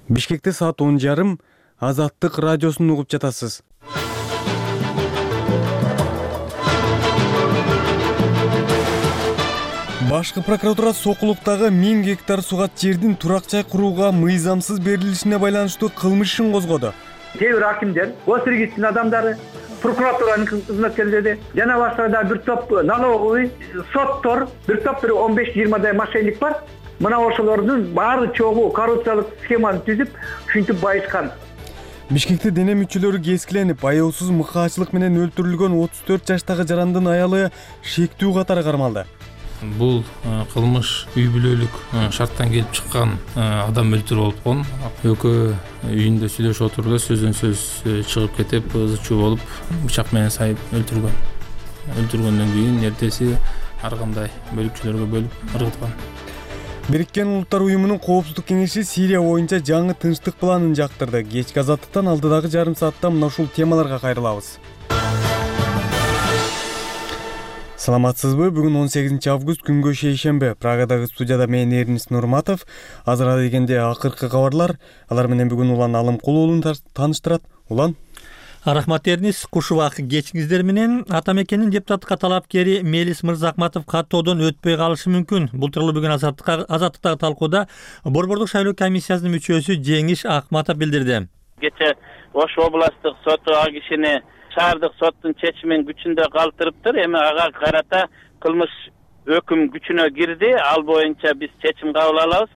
Бишкекте саат 10:30 Азаттык радиосун угуп жатасыз. Башкы прокуратура Сокулуктагы 1000 гектар сугат жердин турак жай курууга мыйзамсыз берилишине байланыштуу кылмыш ишин козгоду. Кээ бир акимдер, госрегистрдин адамдары, прокуратуранын кызматкерлери жана башка да бир топ налоговый соттор, бир топ 15-20 мошенник бар. Мына ошолордун баары чогуу коррупциялык схеманы түзүп, ушинтип байышкан. Бишкекте дене мүчөлөрү кескиленип, аяусуз мыкаачылык менен өлтүрүлгөн 34 жаштагы жарандын аялы шектүү катары кармалды. Бул кылмыш үй бүлөлүк шарттан келип чыккан адам өлтүрүү болгон. Экөө үйүндө сүйлөшүп отурду, сөздөн сөз чыгып кетип, ызы чуу болуп, бычак менен сайып өлтүргөн. Өлтүргөндөн кийин эртеси ар кандай бөлүкчөлөргө бөлүп ыргыткан. Бириккен Улуттар уюмунун коопсуздук кеңеши Сирия боюнча жаңы тынчтык планын жактырды. Кечки азаттыктан алдыдагы жарым саатта мына ушул темаларга кайрылабыз. Саламатсызбы? Бүгүн 18 август күнгө шейшембе. Прагадагы студияда мен Эрнис Нурматов. Азыр дегенде акыркы кабарлар. Алар менен бүгүн Улан Алымкул уулун тааныштырат. Улан. Рахмат Эрнис, куш убак кечиңиздер менен. Атамекенин депутаттыкка талапкери Мелис Мырзакматов каттоодон өтпөй калышы мүмкүн. Бул тууралуу бүгүн азаттыктагы талкууда Борбордук шайлоо комиссиясынын мүчөсү Жеңиш Акматов билдирди. Кече Ош областык соту ал кишини шаардык соттун чечимин күчүндө калтырыптыр. Эми ага карата кылмыш өкүм күчүнө кирди. Ал боюнча биз чечим кабыл алабыз.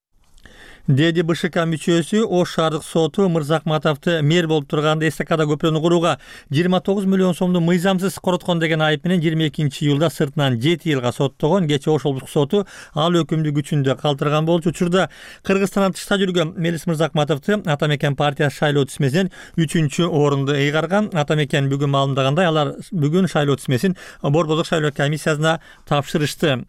Деди БШК мүчөсү Ош шаардык соту Мырзакматовду мэр болуп турганда эстакада көпүрөнү курууга 29 миллион сомду мыйзамсыз короткон деген айып менен 22-июлда сыртынан 7 жылга соттогон. Кече Ош облустук соту ал өкүмдү күчүндө калтырган болчу. Учурда Кыргызстандан тышта жүргөн Мелис Мырзакматовду Атамекен партиясы шайлоо тизмесинен 3-орунду ыйгарган. Атамекен бүгүн маалымдагандай, алар бүгүн шайлоо тизмесин Борбордук шайлоо комиссиясына тапшырышты.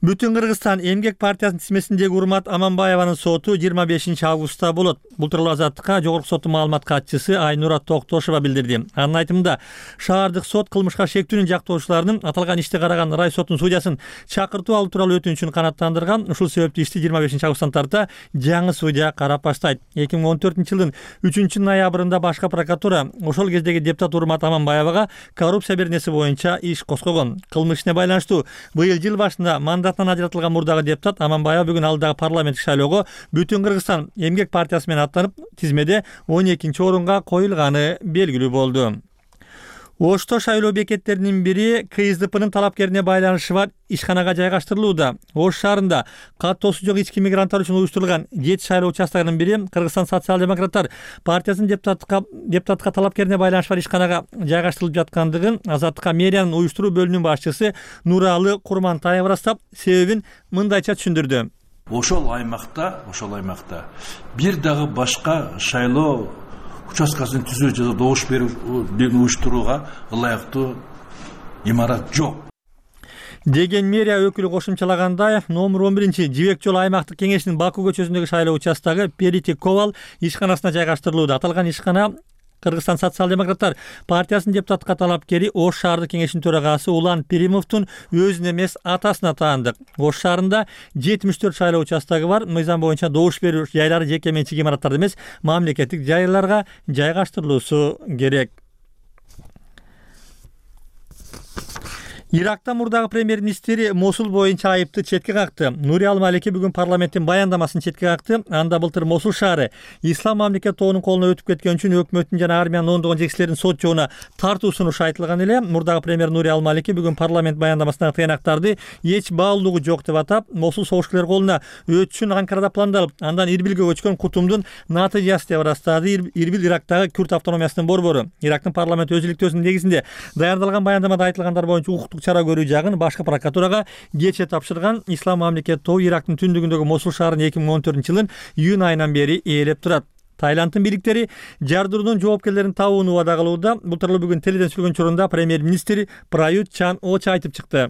Бүтүн Кыргызстан эмгек партиясынын тизмесиндеги Урмат Аманбаеванын соту 25 августта болот. Бул тууралуу Азаттыкка Жогорку соттун маалымат катчысы Айнура Токтошова билдирди. Анын айтымында, шаардык сот кылмышка шектүүнүн жактоочуларынын аталган ишти караган рай соттун судьясын чакыртуу алуу тууралуу өтүнүчүн канааттандырган. Ушул себептүү ишти 25 августтан тарта жаңы судья карап баштайт. 2014-жылдын 3-ноябрында башкы прокуратура ошол кездеги депутат Урмат Аманбаевага коррупция беренеси боюнча иш козгогон. Кылмыш ишине байланыштуу быйыл жыл башында ажыратылган мурдагы депутат Аманбаева бүгүн алдыдагы парламенттик шайлоого Бүтүн Кыргызстан эмгек партиясы менен аттанып, тизмеде 12-орунга коюлганы белгилүү болду. Ошто шайлоо бекеттеринин бири КСДПнын талапкерине байланышы бар ишканага жайгаштырылууда. Ош шаарында каттоосу жок ички мигранттар үчүн уюштурулган 7 шайлоо участогунун бири Кыргызстан социал-демократтар партиясынын депутатка талапкерине байланышы бар ишканага жайгаштырылып жаткандыгын Азаттыкка мэриянын уюштуруу бөлүмүнүн башчысы Нуралы Курмантаева ырастап, себебин мындайча түшүндүрдү. Ошол аймакта бир дагы башка шайлоо участкасын түзүү жана добуш берүүнү уюштурууга ылайыктуу имарат жок деген мэрия өкүлү кошумчалагандай, номер 11 Жибек жолу аймактык кеңешинин Баку көчөсүндөгү шайлоо участогу Перити Ковал ишканасына жайгаштырылууда. Аталган ишкана Кыргызстан социал-демократтар партиясынын депутаттыкка талапкери Ош шаардык кеңешинин төрагасы Улан Перимовдун өзүнө эмес атасына таандык. Ош шаарында 74 шайлоо участогу бар. Мыйзам боюнча добуш берүү жайлары жеке менчик имараттарда эмес, мамлекеттик жайларга жайгаштырылуусу керек. Иракта мурдагы премьер-министри Мосул боюнча айыпты четке какты. Нури Ал-Малики бүгүн парламенттин баяндамасын четке какты. Анда былтыр Мосул шаары Ислам мамлекет тоонун колуна өтүп кеткен үчүн өкмөттүн жана армиянын ондогон жетекчилеринин сот жоона тартуу сунушу айтылган эле. Мурдагы премьер Нури Ал-Малики бүгүн парламент баяндамасындагы тыянактарды эч баалуулугу жок деп атап, Мосул согушчулар колуна өтүшүн Анкарада пландалып, андан Ирбилге көчкөн кутумдун натыйжасы деп ырастады Ирбил Ирактагы Күрд автономиясынын борбору. Ирактын парламент өз иликтөөсүнүн негизинде даярдалган баяндамада айтылгандар боюнча укуктук чара көрүү жагын башкы прокуратурага кече тапшырган. Ислам мамлекет тобу Ирактын түндүгүндөгү Мосул шаарын 2014-жылдын июнь айынан бери ээлеп турат. Тайландтын бийликтери жардыруудун жоопкерлерин табууну убада кылууда. Бул тууралуу бүгүн теледен сүйлөгөн учурунда премьер-министр Прают Чан Оча айтып чыкты.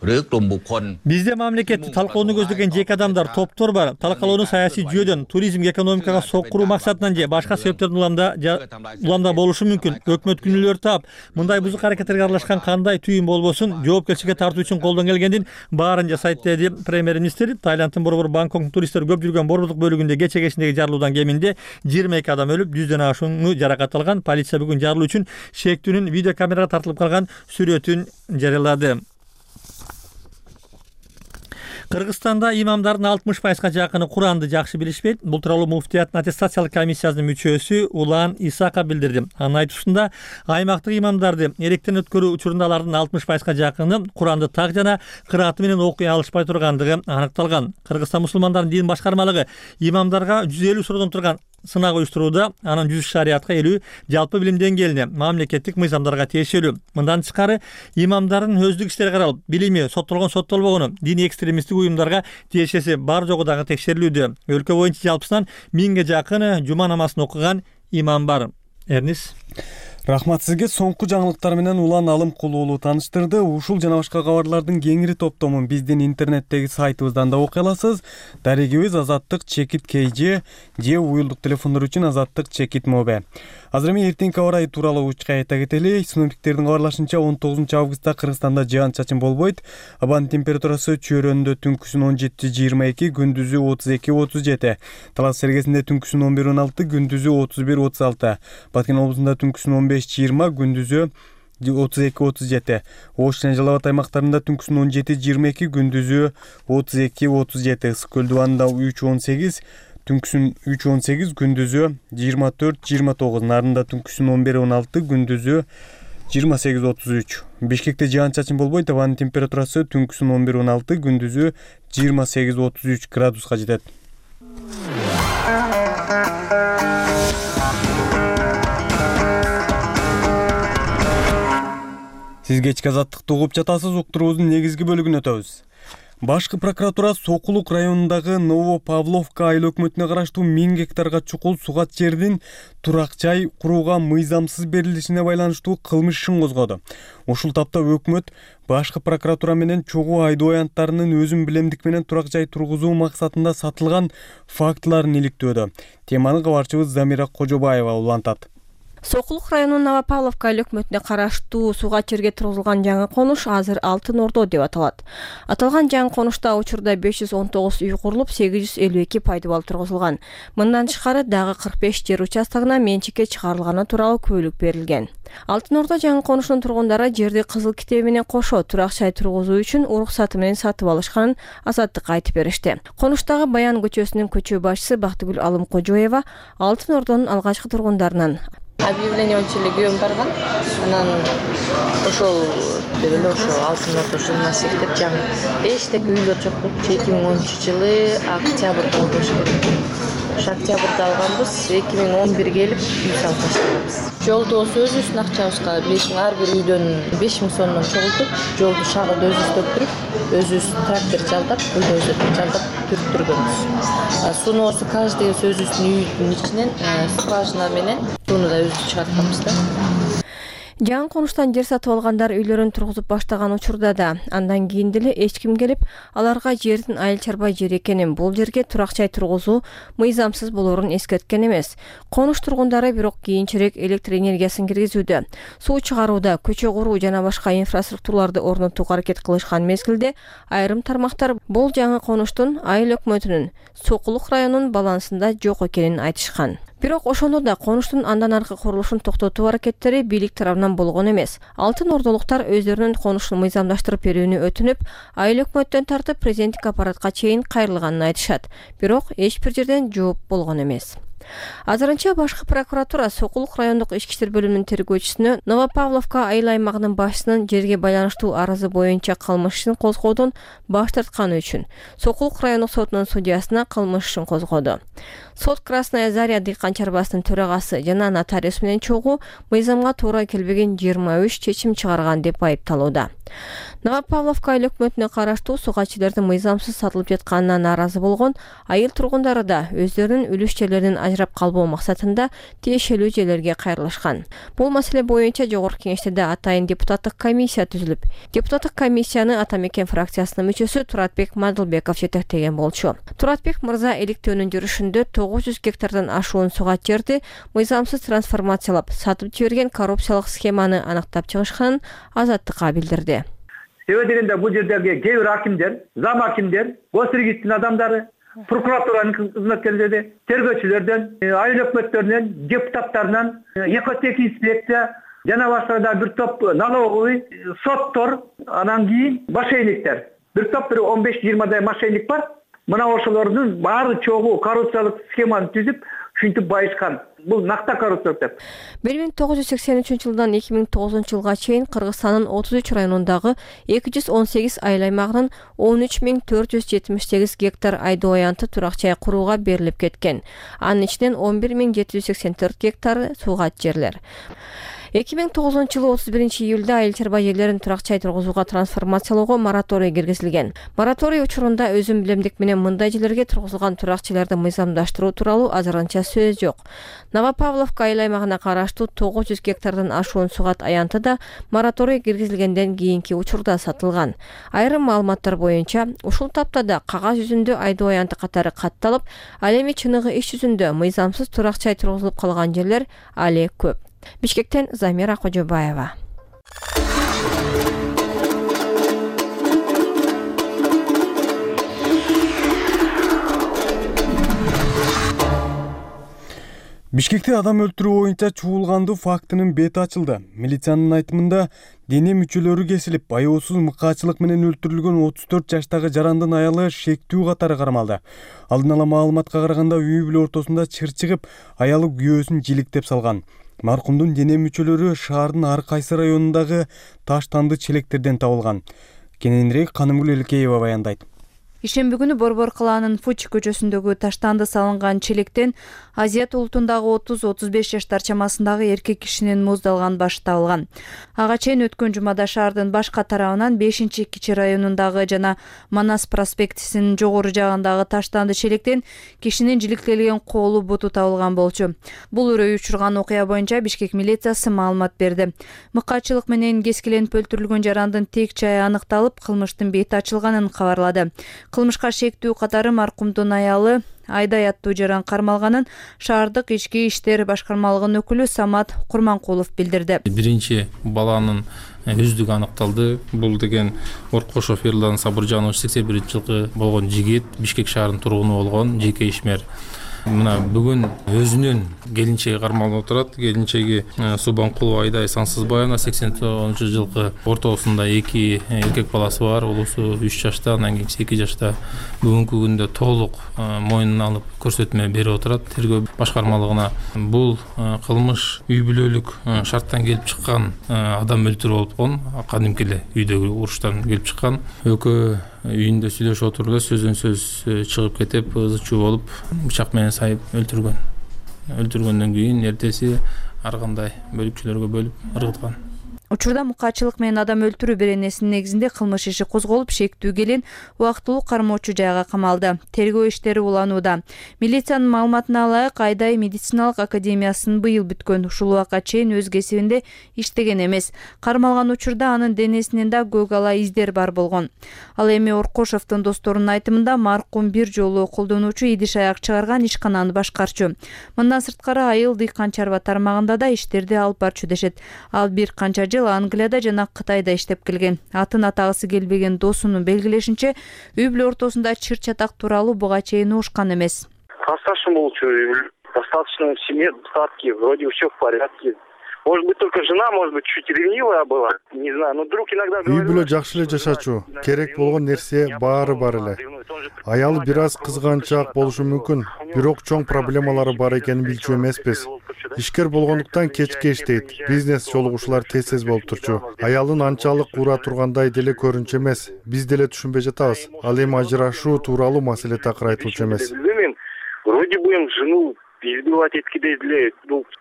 Бизде мамлекетти талкалоону көздөгөн жеке адамдар, топтор бар. Талкалоону саясий жүйөдөн, туризмге, экономикага соккуруу максатынан же башка себептерден уламда болушу мүмкүн. Өкмөт күнөөлөр таап, мындай бузук аракеттерге аралашкан кандай түйүн болбосун жоопкерчиликке тартуу үчүн колдон келгендин баарын жасайт деди премьер-министр. Таиланддын борбор Бангкоктун туристтер көп жүргөн борборлук бөлүгүндө кече кечиндеги жарылуудан кеминде 22 адам өлүп, 100дөн ашууну жаракат алган. Полиция бүгүн жарылуу үчүн шектүүнүн видеокамерага тартылып калган сүрөтүн жарыялады. Кыргызстанда имамдардын 60%га жакыны Куранды жакшы билишпейт. Бул тууралуу муфтияттын аттестациялык комиссиясынын мүчөсү Улан Исаков билдирди. Анын айтуусунда, аймактык имамдарды эректен өткөрүү учурунда алардын 60%га жакыны Куранды так жана кырааты менен окуй алышпай тургандыгы аныкталган. Кыргызстан мусулмандарынын дин башкармалыгы имамдарга 150 суроодон турган сынак уюштурууда, анын 100 шариятка 50 жалпы билим деңгээлине мамлекеттик мыйзамдарга тиешелүү. Мындан тышкары имамдардын өздүк иштери каралып, билими соттолгону, диний экстремисттик уюмдарга тиешеси бар жогу дагы текшерилүүдө. Өлкө боюнча жалпысынан 1000ге жакын жума намазын окуган имам бар. Эрнис. Рахмат сизге. Соңку жаңылыктар менен Улан Алымкулуу уулу тааныштырды. Ушул жана башка кабарлардын кеңири топтомун биздин интернеттеги сайтыбыздан да окуй аласыз. Дарегибиз Азаттык Чекит КЖ же уюлдук телефондор үчүн Азаттык Чекит Мобе. Азыр эми эртеңки аба ырайы тууралуу учка айта кетели. Синоптиктердин кабарлашынча 19 августта Кыргызстанда жаан-чачын болбойт. Абанын температурасы чөйрөндө түнкүсүн 17-22, күндүзү 32-37. Талас Сергесинде түнкүсүн 11-16, күндүзү 31-36. Баткен облусунда түнкүсүн 15-20, күндүзү 32-37. Ош жана Жалал Абад аймактарында түнкүсүн 17-22, күндүзү 32-37. Ысык Көл дубанында 3-18, түнкүсүн 3-18, күндүзү 24-29. Нарында түнкүсүн 11-16, күндүзү 28-33. Бишкекте жаан-чачын болбойт. Абанын температурасы түнкүсүн 11-16, күндүзү 28-33 градуска жетет. Сиз кечки азаттыкты угуп жатасыз. Уктуруубуздун негизги бөлүгүнө өтөбүз. Башкы прокуратура Сокулук районундагы Новопавловка айыл өкмөтүнө караштуу 1000 гектарга чукул сугат жердин турак жай курууга мыйзамсыз берилишине байланыштуу кылмыш ишин козгоду. Ушул тапта өкмөт башкы прокуратура менен чогуу айдоо аянттарынын өзүн билемдик менен турак жай тургузуу максатында сатылган фактыларын иликтөөдө. Теманы кабарчыбыз Замира Кожобаева улантат. Сокулук районунун Новопавловка айыл өкмөтүнө караштуу сугат жерге тургузулган жаңы конуш азыр Алтын Ордо деп аталат. Аталган жаңы конушта учурда 519 үй курулуп, 852 пайдубал тургузулган. Мындан тышкары дагы 45 жер участогуна менчикке чыгарылганы тууралуу күбөлүк берилген. Алтын Ордо жаңы конушунун тургундары жерди кызыл китеби менен кошо турак жай тургузуу үчүн уруксаты менен сатып алышканын Азаттыкка айтып беришти. Конуштагы Баян көчөсүнүн көчө башчысы Бактыгүл Алымкожоева Алтын Ордонун алгачкы тургундарынан объявление училиге барган, анан ошол деп эле ошо Алтын Ордо журналистик деп жаңы эчтеке үйлөр жок болуп, 2013-жылы октябрда болуш керек. Ошо октябрда алганбыз, 2011 келип үй салып баштаганбыз. Жолду өзүбүздүн акчабызга ар бир үйдөн 5000 сомдон чогултуп, жолду шагылды өзүбүз төктүрүп, өзүбүз трактор жалдап, бульдозер жалдап түрттүргөнбүз. Суноосу каждый өзүбүздүн үйдүн ичинен скважина менен сууну да өзүбүз чыгартканбыз да. Жаңы конуштан жер сатып алгандар үйлөрүн тургузуп баштаган учурда да андан кийин деле эч ким келип аларга жердин айыл чарба жер экенин, бул жерге турак жай тургузуу мыйзамсыз болоорун эскерткен эмес. Конуш тургундары бирок кийинчерээк электр энергиясын киргизүүдө, суу чыгарууда, көчө куруу жана башка инфраструктураларды орнотууга аракет кылышкан мезгилде айрым тармактар бул жаңы конуштун айыл өкмөтүнүн Сокулук районунун балансында жок экенин айтышкан. Бирок ошондо да конуштун андан аркы курулушун токтотуу аракеттери бийлик тарабынан болгон эмес. Алтын Ордолуктар өздөрүнүн конушун мыйзамдаштырып берүүнү өтүнүп, айыл өкмөттөн тартып президенттик аппаратка чейин кайрылганын айтышат. Бирок эч бир жерден жооп болгон эмес. Азырынча башкы прокуратура Сокулук райондук ички иштер бөлүмүнүн тергөөчүсүнө Новопавловка айыл аймагынын башчысынын жерге байланыштуу арызы боюнча кылмыш ишин козгоодон баш тартканы үчүн Сокулук райондук сотунун судьясына кылмыш ишин козгоду. Сот Красная Заря дыйкан чарбасынын төрагасы жана нотариус менен чогуу мыйзамга туура келбеген 23 чечим чыгарган деп айыпталууда. Новопавловка айыл өкмөтүнө караштуу сугат жерлердин мыйзамсыз сатылып жатканына нааразы болгон айыл тургундары да өздөрүнүн үлүш жерлеринин ажырап калбоо максатында тиешелүү жерлерге кайрылышкан. Бул маселе боюнча Жогорку Кеңеште атайын депутаттык комиссия түзүлүп, депутаттык комиссияны Ата Мекен фракциясынын мүчөсү Туратбек Мадылбеков жетектеген болчу. Туратбек мырза иликтөөнүн жүрүшүндө 900 гектардан ашуун сугат жерди мыйзамсыз трансформациялап сатып жиберген коррупциялык схеманы аныктап чыгышканын Азаттыкка билдирди. Себеби дегенде бул жердеги кээ бир акимдер, зам акимдер, госрегисттин адамдары, прокуратуранын кызматкерлери, тергөөчүлөрдөн, айыл өкмөттөрүнөн, депутаттарынан, экотек инспекция жана башка да бир топ налоговый, соттор, анан кийин мошенниктер. Бир топ 15-20 мошенник бар. Мына ошолордун баары чогуу коррупциялык схеманы түзүп, ушинтип байышкан. Бул накта коррупция деп. 1983-жылдан 2009-жылга чейин Кыргызстандын 33 районундагы 218 айыл аймагынын 13478 гектар айдоо аянты турак жай курууга берилип кеткен. Анын ичинен 11784 гектары суугат жерлер. 2009-жылы 31-июлда айыл чарба жерлерин турак жай тургузууга трансформациялоого мораторий киргизилген. Мораторий учурунда өзүм билемдик менен мындай жерлерге тургузулган турак жайларды мыйзамдаштыруу тууралуу азырынча сөз жок. Новопавловка айыл аймагына караштуу 900 гектардан ашуун сугат аянты да мораторий киргизилгенден кийинки учурда сатылган. Айрым маалыматтар боюнча ушул таптада кагаз жүзүндө айдоо аянты катары катталып, ал эми чыныгы иш жүзүндө мыйзамсыз турак жай тургузулуп калган жерлер али көп. Бишкектен Замира Кожобаева. Бишкекте адам өлтүрүү боюнча чуулгандуу фактынын бети ачылды. Милициянын айтымында дене мүчөлөрү кесилип, аяосуз мыкаачылык менен өлтүрүлгөн 34 жаштагы жарандын аялы шектүү катары кармалды. Алдын ала маалыматка караганда үй бүлө ортосунда чыр чыгып, аялы күйөөсүн жиликтеп салган. Маркумдун дене мүчөлөрү шаардын ар кайсы районундагы таш танды челектерден табылган. Кененирээк Канымгүл Элкеева баяндайт. Ишемби күнү Борбор калаанын Фуч көчөсүндөгү таштанды салынган челектен Азият улутундагы 30-35 жаштар чамасындагы эркек кишинин муздалган башы табылган. Ага чейин өткөн жумада шаардын башка тарабынан 5-кичи районундагы жана Манас проспектисинин жогору жагындагы таштанды челектен кишинин жиликтелген колу буту табылган болчу. Бул үрөй учурган окуя боюнча Бишкек милициясы маалымат берди. Мыкаачылык менен кескиленип өлтүрүлгөн жарандын тек жайы аныкталып, кылмыштын бети ачылганын кабарлады. Кылмышка шектүү катары маркумдун аялы Айдай аттуу жаран кармалганын шаардык ички иштер башкармалыгынын өкүлү Самат Курманкулов билдирди. Биринчи баланын өздүгү аныкталды. Бул деген Оркошов Ерлан Сабыржанович 81-жылкы болгон жигит, Бишкек шаарынын тургуну болгон жеке ишмер. Мына бүгүн өзүнүн келинчеги кармалып отурат. Келинчеги Субанкулова Айдай Сансызбаевна 89-жылкы ортосунда 2 эркек баласы бар. Улусу 3 жашта, анан кийинчиси 2 жашта. Бүгүнкү күндө толук мойнуна алып көрсөтмө берип отурат тергөө башкармалыгына. Бул кылмыш үй бүлөлүк шарттан келип чыккан адам өлтүрүү болуп аткан. Кадимки эле үйдөгү уруштан келип чыккан. Экөө үйүндө сүйлөшүп отурду, сөздөн сөз чыгып кетип, ызы чуу болуп, бычак менен сайып өлтүргөн. Өлтүргөндөн кийин эртеси ар кандай бөлүкчөлөргө бөлүп ыргыткан. Учурда мукаачылык менен адам өлтүрүү беренесинин негизинде кылмыш иши козголуп, шектүү келин убактылуу кармоочу жайга камалды. Тергөө иштери уланууда. Милициянын маалыматына ылайык, Айдай медициналык академиясын быйыл бүткөн. Ушул убакка чейин өз кесибинде иштеген эмес. Кармалган учурда анын денесинен да көк ала издер бар болгон. Ал эми Оркошовдун досторунун айтымында маркум бир жолу колдонуучу идиш аяк чыгарган ишкананы башкарчу. Мындан сырткары айыл дыйкан чарба тармагында да иштерди алып барчу дешет. Ал бир канча Англияда жана Кытайда иштеп келген. Атын атагысы келбеген досунун белгилешинче, үй бүлө ортосунда чыр чатак тууралуу буга чейин угушкан эмес. Достаточно болчу, достаточно в семье, достатки, вроде все в порядке. Может быть, только жена, может быть, чуть ревнивая была, не знаю, но вдруг иногда... Үй бүлө жакшы эле жашачу, керек болгон нерсе баары бар эле. Аялы бир аз кызганчаак болушу мүмкүн, бирок чоң проблемалары бар экенин билчү эмеспиз. Ишкер болгондуктан кечке иштейт, бизнес жолугушуулар тез болуп турчу. Аялын анчалык ура тургандай деле көрүнчү эмес, биз деле түшүнбөй жатабыз. Ал эми ажырашуу тууралуу маселе такыр айтылчу эмес. Вроде бы жену избивать эткидей деле,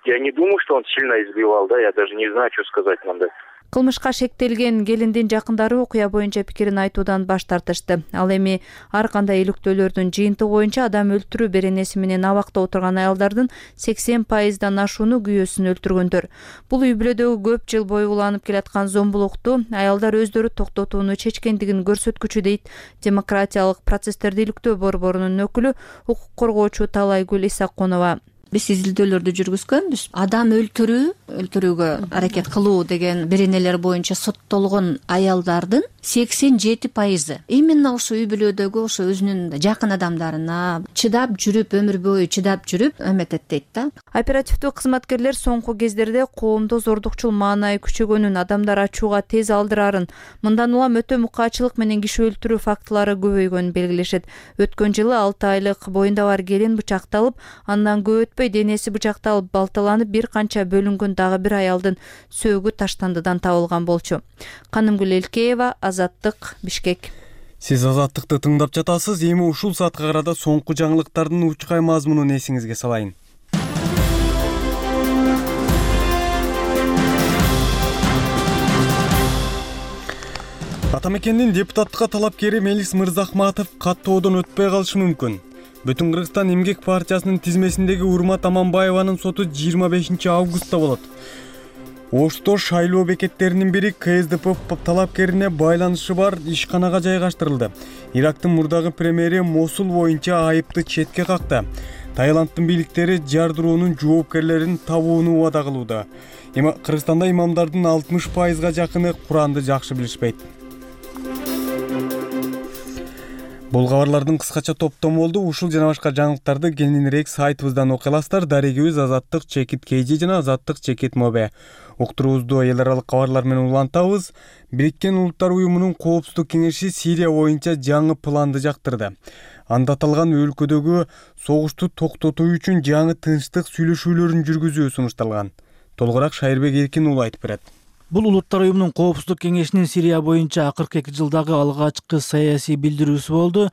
я не думаю, что он сильно избивал, да, я даже не знаю, что сказать надо. Кылмышка шектелген келиндин жакындары окуя боюнча пикирин айтуудан баш тартышты. Ал эми ар кандай иликтөөлөрдүн жыйынтыгы боюнча адам өлтүрүү беренеси менен абакта отурган аялдардын 80%дан ашууну күйөөсүн өлтүргөндөр. Бул үй бүлөдөгү көп жыл бою уланып келаткан зомбулукту аялдар өздөрү токтотууну чечкендигин көрсөткүчү дейт Демократиялык процесстерди иликтөө борборунун өкүлү, укук коргоочу Талайгүл Исаккунова. Биз изилдөөлөрдү жүргүзгөнбүз. Адам өлтүрүүгө аракет кылуу деген беренелер боюнча соттолгон аялдардын 87% именно ошо үй бүлөдөгү ошо өзүнүн жакын адамдарына чыдап жүрүп, өмүр бою чыдап жүрүп эметет дейт да. Оперативдүү кызматкерлер соңку кездерде коомдо зордукчул маанай күчөгөнүн, адамдар ачууга тез алдырарын, мындан улам өтө мукаачылык менен киши өлтүрүү фактылары көбөйгөнүн белгилешет. Өткөн жылы 6 айлык боюнда бар келин бычакталып, андан көп денеси бычакталып балталанып, бир канча бөлүнгөн дагы бир аялдын сөөгү таштандыдан табылган болчу. Канымгүл Элкеева, Азаттык, Бишкек. Сиз Азаттыкты тыңдап жатасыз. Эми ушул саатка карата соңку жаңылыктардын учкай мазмунун эсиңизге салайын. Ата мекендин депутаттыкка талапкери Мелис Мырзахматов каттоодон өтпөй калышы мүмкүн. Бүтүн Кыргызстан эмгек партиясынын тизмесиндеги Урмат Аманбаеванын соту 25 августта болот. Ошто шайлоо бекеттеринин бири КСДП талапкерине байланышы бар ишканага жайгаштырылды. Ирактын мурдагы премьери Мосул боюнча айыпты четке какты. Таиланддын бийликтери жардыруунун жоопкерлерин табууну убада кылууда. Кыргызстанда имамдардын 60%га жакыны Куранды жакшы билишпейт. Бул кабарлардын кыскача топтому болду. Ушул жана башка жаңылыктарды кененирээк сайтыбыздан окуй аласыздар. Дарегибиз Азаттык чекит KG жана Азаттык чекит Mobe. Уктуруубузду эл аралык кабарлар менен улантабыз. Бириккен Улуттар уюмунун коопсуздук кеңеши Сирия боюнча жаңы планды жактырды. Анда аталган өлкөдөгү согушту токтотуу үчүн жаңы тынчтык сүйлөшүүлөрүн жүргүзүү сунушталган. Толугураак Шайырбек Эркин уулу айтып берет. Бул Улуттар уюмунун коопсуздук кеңешинин Сирия боюнча 42 жылдагы алгачкы саясий билдирүүсү болду.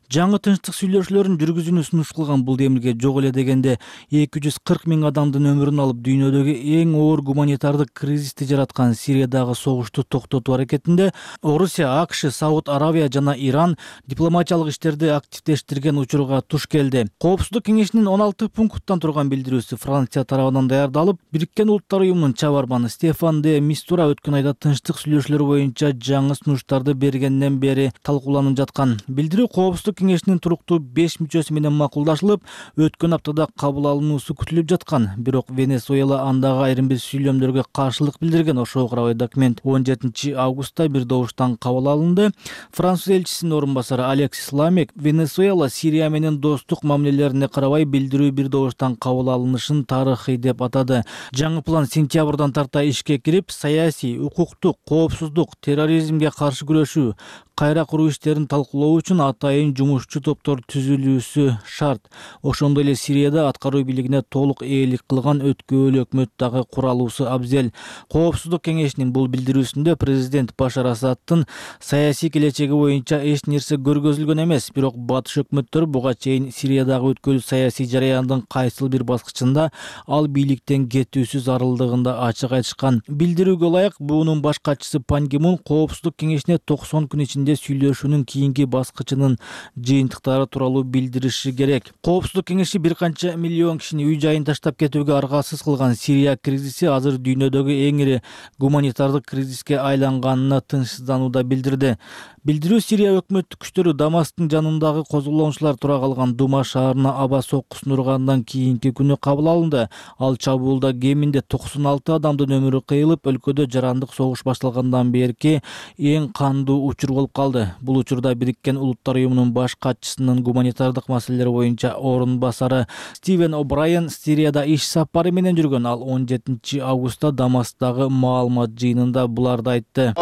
Жаңы тынчтык сүйлөшүүлөрүн жүргүзүүнү сунуш кылган бул демилге жок эле дегенде 240 000 адамдын өмүрүн алып дүйнөдөгү эң оор гуманитардык кризисти жараткан Сириядагы согушту токтотуу аракетинде Орусия, АКШ, Сауд Аравия жана Иран дипломатиялык иштерди активдештирген учурга туш келди. Коопсуздук кеңешинин 16 пункттан турган билдирүүсү Франция тарабынан даярдалып, Бириккен Улуттар уюмунун чабарманы Стефан де Мистура өткөн айда тынчтык сүйлөшүүлөр боюнча жаңы сунуштарды бергенден бери талкууланып жаткан. Билдирүү коопсуздук кеңешинин туруктуу 5 мүчөсү менен макулдашылып, өткөн аптада кабыл алынуусу күтүлүп жаткан. Бирок Венесуэла андагы айрым бир сүйлөмдөргө каршылык билдирген. Ошого карабай документ 17 августта бир добуштан кабыл алынды. Француз элчисинин орун басары Алексис Ламек Венесуэла Сирия менен достук мамилелерине карабай билдирүү бир добуштан кабыл алынышын тарыхый деп атады. Жаңы план сентябрдан тарта ишке кирип, саясий, укуктук, коопсуздук, терроризмге каршы күрөшүү, кайра куруу иштерин талкуулоо үчүн атайын жумушчу топтор түзүлүүсү шарт. Ошондой эле Сирияда аткаруу бийлигине толук ээлик кылган өткөөлүү өкмөт дагы куралуусу абзел. Коопсуздук кеңешинин бул билдирүүсүндө президент Башар Асадтын саясий келечеги боюнча эч нерсе көргөзүлгөн эмес, бирок батыш өкмөттөр буга чейин Сириядагы өткөөлүү саясий жараяндын кайсыл бир баскычында ал бийликтен кетүүсү зарылдыгын да ачык айтышкан. Билдирүүгө ылайык, буунун баш катчысы Пан Ги Мун коопсуздук кеңешине 90 күн ичинде сүйлөшүүнүн кийинки баскычынын жыйынтыктары тууралуу билдириши керек. Коопсуздук кеңеши бир канча миллион кишини үй жайын таштап кетүүгө аргасыз кылган Сирия кризиси азыр дүйнөдөгү эң ири гуманитардык кризиске айланганына тынчсызданууда билдирди. Билдирүү Сирия өкмөттүк күчтөрү Дамасктын жанындагы козголоңчулар тура калган Дума шаарына аба соккусун ургандан кийинки күнү кабыл алынды. Ал чабуулда кеминде 96 адамдын өмүрү кыйылып, өлкөдө жарандык согуш башталгандан берки эң кандуу учур болуп калды. Бул учурда Бириккен Улуттар уюмунун баш катчысынын гуманитардык маселелер боюнча орун басары Стивен О'Брайен Сирияда иш сапары менен жүргөн. Ал 17 августта Дамасктагы маалымат жыйынында буларды айтты.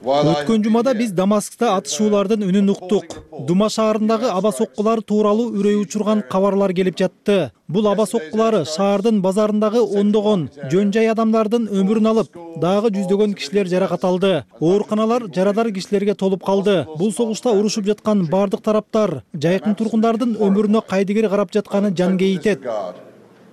Өткөн жумада биз Дамаскта атышуулардын үнүн уктук. Дума шаарындагы аба соккулар тууралуу үрөй учурган кабарлар келип жатты. Бул аба соккулары шаардын базарындагы ондогон жөн жай адамдардын өмүрүн алып, дагы жүздөгөн кишилер жаракат алды. Ооруканалар жарадар кишилерге толуп калды. Бул согушта урушуп жаткан бардык тараптар жайкын тургундардын өмүрүнө кайдыгер карап жатканы жан кейитет.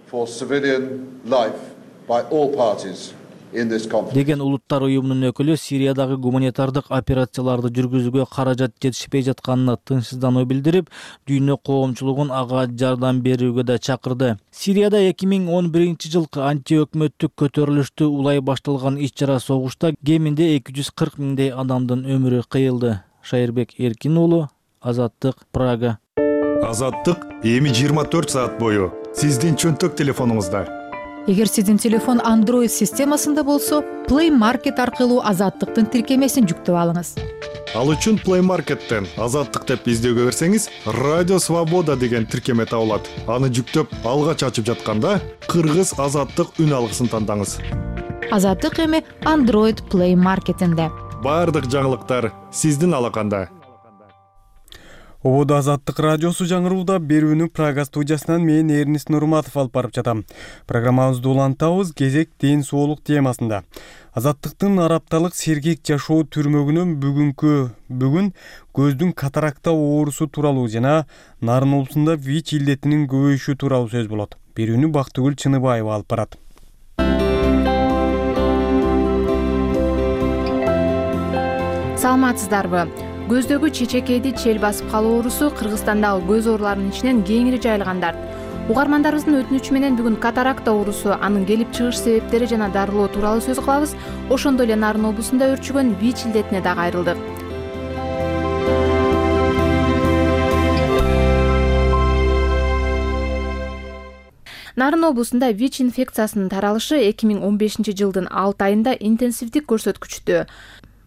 for civilian life by all parties in this conflict. Деген Улуттар уюмунун өкүлү Сириядагы гуманитардык операцияларды жүргүзүүгө каражат жетишпей жатканына тынчсыздануу билдирип, дүйнө коомчулугун ага жардам берүүгө да чакырды. Сирияда 2011-жылкы антиөкмөттүк көтөрүлүштү улай башталган иш-чара согушта кеминде 240 миңдей адамдын өмүрү кыйылды. Шайырбек Эркин уулу, Азаттык, Прага. Азаттык эми 24 саат бою сиздин чөнтөк телефонуңузда. Эгер сиздин телефон Android системасында болсо, Play Market аркылуу Азаттыктын тиркемесин жүктөп алыңыз. Ал үчүн Play Market'тен Азаттык деп издөөгө берсеңиз, Радио Свобода деген тиркеме табылат. Аны жүктөп алгач ачып жатканда, кыргыз Азаттык үн алгысын тандаңыз. Азаттык эми Android Play Market'инде. Бардык жаңылыктар сиздин алаканда. Ободо Азаттык радиосу жаңырууда берүүнү Прага студиясынан мен Эрнис Нурматов алып барып жатам. Программабызды улантабыз кезек ден соолук темасында. Азаттыктын арапталык сергек жашоо түрмөгүнөн бүгүн көздүн катаракта оорусу тууралуу жана Нарын облусунда ВИЧ илдетинин көбөйүшү тууралуу сөз болот. Берүүнү Бактыгүл Чыныбаева алып барат. Саламатсыздарбы? Көздөгү чечекейди чел басып калуу оорусу Кыргызстандагы көз ооруларынын ичинен кеңири жайылгандар. Угармандарыбыздын өтүнүчү менен бүгүн катаракта оорусу, анын келип чыгыш себептери жана дарылоо тууралуу сөз кылабыз. Ошондой эле Нарын облусунда өрчүгөн ВИЧ илдетине да кайрылдык. Нарын облусунда ВИЧ инфекциясынын таралышы 2015-жылдын 6 айында интенсивдик көрсөткүчтө.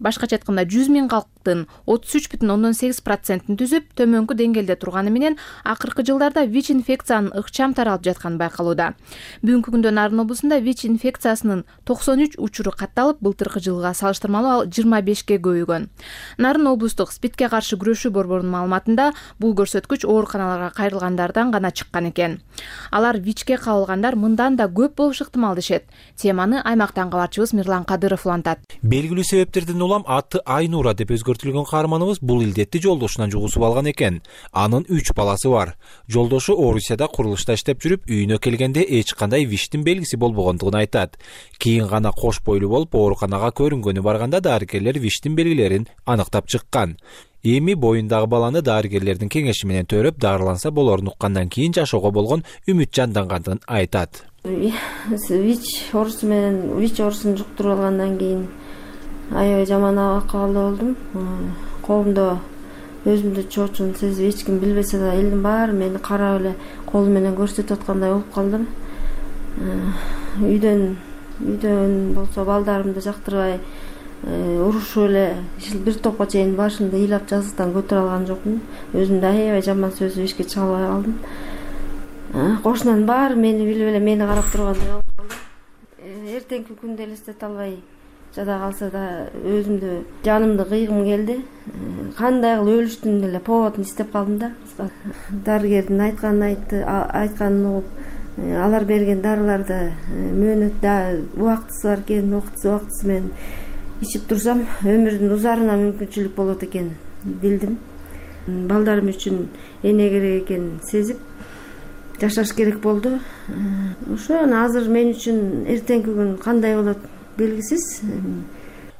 Башкача айтканда 100 миң калктын 33,8%-ын түзүп, төмөнкү деңгээлде турганы менен акыркы жылдарда ВИЧ инфекциянын ыкчам таралып жатканы байкалууда. Бүгүнкү күндө Нарын облусунда ВИЧ инфекциясынын 93 учуру катталып, былтыркы жылга салыштырмалуу ал 25ге көбөйгөн. Нарын облустук СПИДке каршы күрөшүү борборунун маалыматында бул көрсөткүч ооруканаларга кайрылгандардан гана чыккан экен. Алар ВИЧке кабылгандар мындан да көп болушу ыктымал дешет. Теманы аймактан кабарчыбыз Мирлан Кадыров улантат. Белгилүү себептерден улам аты Айнура деп өзгөртүлгөн каарманыбыз бул илдетти жолдошунан жугусуп алган экен. Анын 3 баласы бар. Жолдошу Орусияда курулушта иштеп жүрүп, үйүнө келгенде эч кандай ВИЧтин белгиси болбогондугун айтат. Кийин гана кош бойлуу болуп ооруканага көрүнгөнү барганда дарыгерлер ВИЧтин белгилерин аныктап чыккан. Эми боюндагы баланы дарыгерлердин кеңеши менен төрөп дарыланса болорун уккандан кийин жашоого болгон үмүт жандангандыгын айтат. ВИЧ оорусун жуктуруп алгандан кийин аябай жаман акыбалда болдум. Колумда өзүмдү чоочун сезип, эч ким билбесе да элдин баары мени карап эле колу менен көрсөтүп аткандай болуп калдым. Үйдөн болсо балдарымды жактырбай урушуп эле бир топко чейин башымды ыйлап жазыктан көтөрө алган жокмун. Өзүмдү аябай жаман сөзүп эшикке чыга албай калдым. Кошунанын баары мени билип эле мени карап тургандай болуп калды. Эртеңки күндү элестете албай жада калса да өзүмдү жанымды кыйгым келди. Кандай кылып өлүштүн эле поводун издеп калдым да. Дарыгердин айтканын угуп, алар берген дарыларды мөөнөттө убактысы бар экен, убактысы менен ичип турсам, өмүрдүн узарына мүмкүнчүлүк болот экен билдим. Балдарым үчүн эне керек экенин сезип, жашаш керек болду. Ошо азыр мен үчүн эртеңки күн кандай болот белгисиз.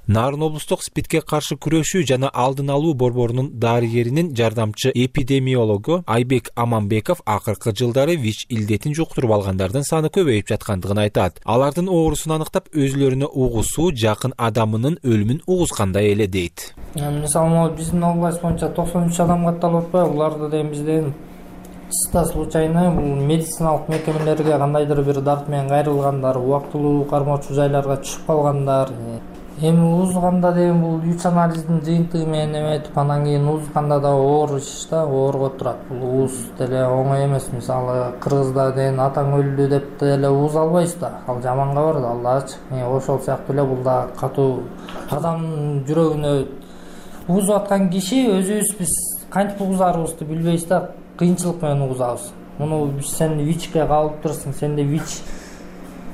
Нарын облустук СПИДке каршы күрөшүү жана алдын алуу борборунун дарыгеринин жардамчы эпидемиологу Айбек Аманбеков акыркы жылдары ВИЧ илдетин жуктуруп алгандардын саны көбөйүп жаткандыгын айтат. Алардын оорусун аныктап, өзүлөрүнө угусуу жакын адамынын өлүмүн угускандай эле дейт. Мисалы, биздин область боюнча 93 адам катталып атпайбы? Буларды деген бизден чисто случайно медициналык мекемелерге кандайдыр бир дарт менен кайрылгандар, убактылуу кармоочу жайларга түшүп калгандар. Эми уузганда деген бул ВИЧ анализдин жыйынтыгы менен эметип, анан кийин уузганда да оор иш да, оорго турат. Бул ууз деле оңой эмес. Мисалы, Кыргызда деген атаң өлдү деп деле ууз албайсыз да. Ал жаман кабар да, Аллачы. Ошол сыяктуу эле бул да катуу адамдын жүрөгүнө уузуп аткан киши өзүбүз биз кантип угузарыбызды билбейбиз да, кыйынчылык менен угузабыз. Муну сен ВИЧке кабылып турсуң, сенде ВИЧ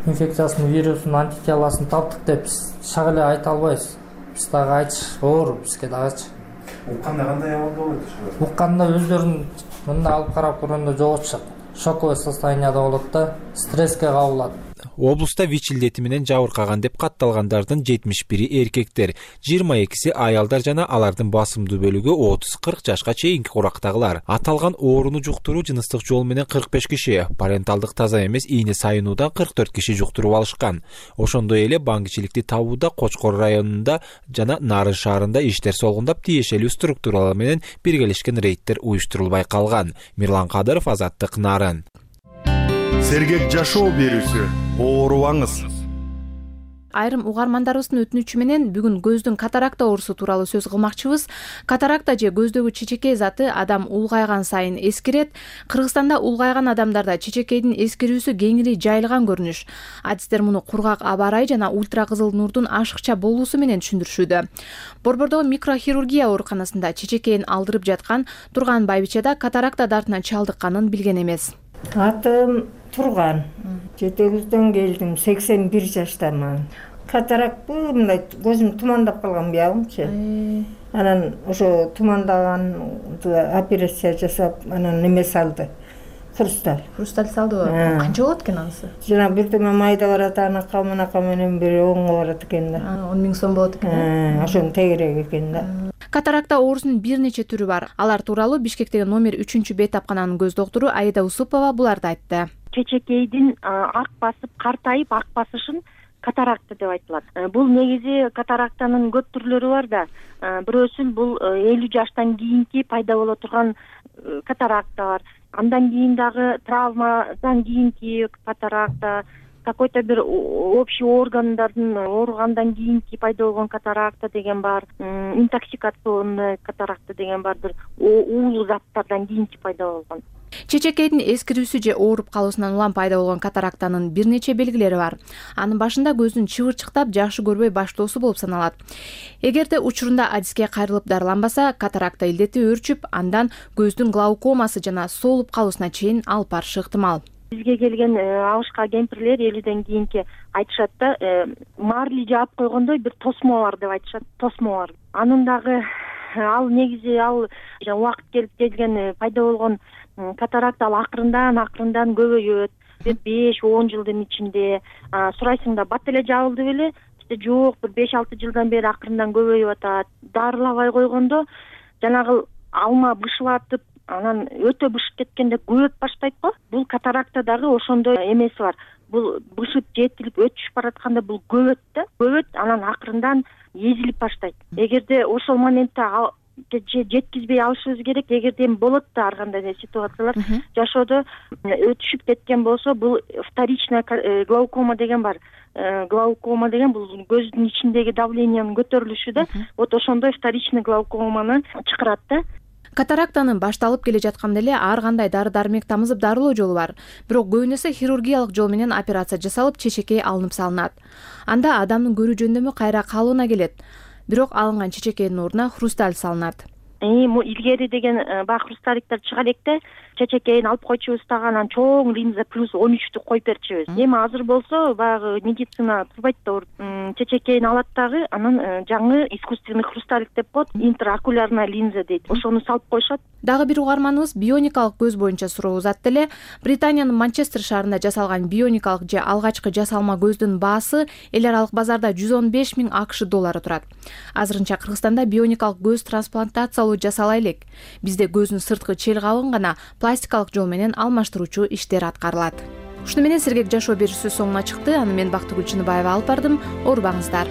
инфекциясынын вирусунун антителосун таптык деп шак эле айта албайбыз. Биз дагы айтыш оор, бизге дагычы. Укканда кандай абалда болот? Укканда өздөрүн мындай алып карап көргөндө жок чыгат. шоковый состоянияда болот да, стресске кабылат. Облуста ВИЧ илдети менен жабыркаган деп катталгандардын 71 эркектер, 22 аялдар жана алардын басымдуу бөлүгү 30-40 жашка чейинки курактагылар. Аталган оорууну жуктуруу жыныстык жол менен 45 киши, паренталдык таза эмес ийне сайынуудан 44 киши жуктуруп алышкан. Ошондой эле баңгичиликти табууда Кочкор районунда жана Нарын шаарында иштер солгундап, тиешелүү структуралар менен биргелешкен рейдтер уюштурулбай калган. Мирлан Кадыров, Азаттык, Нарын. Сергек жашоо берүүсү, оорубаңыз. Айрым угармандарыбыздын өтүнүчү менен бүгүн көздүн катаракта оорусу тууралуу сөз кылмакчыбыз. Катаракта же көздөгү чечекей заты адам улгайган сайын эскирет. Кыргызстанда улгайган адамдарда чечекейдин эскирүүсү кеңири жайылган көрүнүш. Адистер муну кургак аба ырайы жана ультра кызыл нурдун ашыкча болуусу менен түшүндүрүшүүдө. Борбордогу микрохирургия ооруканасында чечекейин алдырып жаткан Турган Байбиче да катаракта дартына чалдыкканын билген эмес. Атым Турган. Жетегизден келдим, 81 жаштамын. Катаракты мындай көзүм тумандап калган биягымчы. Анан ошо тумандаган операция жасап, анан неме салды. Хрусталь. Хрусталь салдыбы? Канча болот экен анысы? Жана бир тома майда барат, анака мынака менен бир 10 барат экен да. 10 000 сом болот экен. Ошонун тегерек экен да. Катаракта оорусунун бир нече түрү бар. Алар тууралуу Бишкектеги номер 3 бет тапкананын көз доктору Аида Усупова буларды айтты. Чечекейдин ак басып, картайып ак басышын катаракта деп айтылат. Бул негизи катарактанын көп түрлөрү бар да. Бирөөсү бул 50 жаштан кийинки пайда боло турган катаракта бар. Андан кийин дагы травмадан кийинки катаракта, какой-то бир общий органдардын ооругандан кийинки пайда болгон катаракта деген бар, интоксикационный катаракта деген бар, бир уулуу заттардан кийинки пайда болгон. Чечекейдин эскирүүсү же ооруп калуусунан улам пайда болгон катарактанын бир нече белгилери бар. Анын башында көздүн чыбырчыктап, жакшы көрбөй баштоосу болуп саналат. Эгерде учурунда адиске кайрылып дарыланбаса, катаракта илдети өөрчүп, андан көздүн глаукомасы жана соолуп калуусуна чейин алып барышы ыктымал. Бизге келген абышка кемпирлер 50ден кийинки айтышат да, марли жаап койгондой бир тосмо бар деп айтышат, тосмо бар. Анын дагы ал негизи убакыт келип келген пайда болгон катаракта ал акырындан көбөйөт. 5-10 жылдын ичинде сурайсың да бат эле жабылды беле? Жок, бир 5-6 жылдан бери акырындан көбөйүп атат. Дарылабай койгондо жанагы алма бышылатып, анан өтө бышып кеткенде көбөйүп баштайт го. Бул катаракта дагы ошондой эмеси бар. Бул бышып жетилип өтүшүп баратканда бул көбөйт да, анан акырындан эзилип баштайт. Эгерде ошол моментте жеткизбей алышыбыз керек. Эгерде эми болот да ар кандай ситуациялар жашоодо өтүшүп кеткен болсо, бул вторичная глаукома деген бар. Глаукома деген бул көздүн ичиндеги давлениянын көтөрүлүшү да. Вот ошондой вторичный глаукоманы чакырат да. Катарактанын башталып келе жатканда эле ар кандай дары-дармек тамызып дарылоо жолу бар. Бирок көбүнесе хирургиялык жол менен операция жасалып, чечекей алынып салынат. Анда адамдын көрүү жөндөмү кайра калыбына келет. Бирок алынган чечекейдин ордуна хрусталь салынат. Илгери деген баягы хрусталиктер чыга электе, чечекейин алып койчубуз дагы, анан чоң линза плюс 13-тү коюп берчүбүз. Эми азыр болсо баягы медицина турбайт да, чечекейин алат дагы, анан жаңы искусственный хрусталик деп коет, интраокулярная линза дейт. Ошону салып коюшат. Дагы бир угарманыбыз бионикалык көз боюнча суроо узатты эле. Британиянын Манчестер шаарында жасалган бионикалык же алгачкы жасалма көздүн баасы эл аралык базарда 115 000 АКШ доллары турат. Азырынча Кыргызстанда бионикалык көз трансплантациялоо жасала элек. Бизде көздүн сырткы чел кабыгын гана пластикалык жол менен алмаштыруучу иштер аткарылат. Ушуну менен сергек жашоо берүүсү соңуна чыкты. Аны мен Бактыгүл Чыныбаева алып бардым. Оорубаңыздар.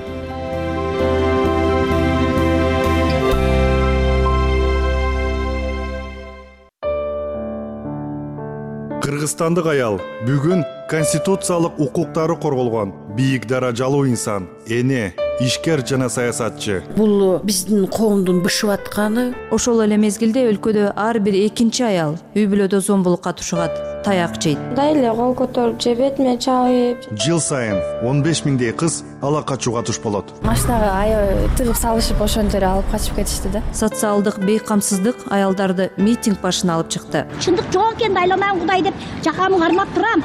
Кыргызстандык аял бүгүн конституциялык укуктары корголгон бийик даражалуу инсан, эне, ишкер жана саясатчы. Бул биздин коомдун бышып атканы. Ошол эле мезгилде өлкөдө ар бир экинчи аял үй бүлөдө зомбулукка тушугат, таяк жейт. Дайле кол көтөрүп же бетиме чабып. Жыл сайын 15 000дей кыз ала качууга туш болот. Машинага аябай тыгып салышып, ошентип алып качып кетишти да. Социалдык бейкамсыздык аялдарды митинг башына алып чыкты. Чындык жок экен, дайламан Кудай деп жакамды кармап турам.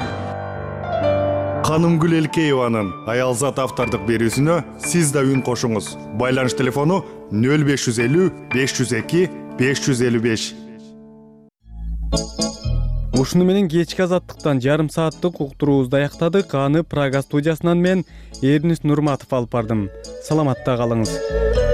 Канымгүл Элкееванын аялзат автордук берүүсүнө сиз да үн кошуңуз. Байланыш телефону 0550 502 555. Ушуну менен кечки азаттыктан жарым сааттык уктуруубузду аяктадык. Аны Прага студиясынан мен Эрнис Нурматов алып бардым. Саламатта калыңыз.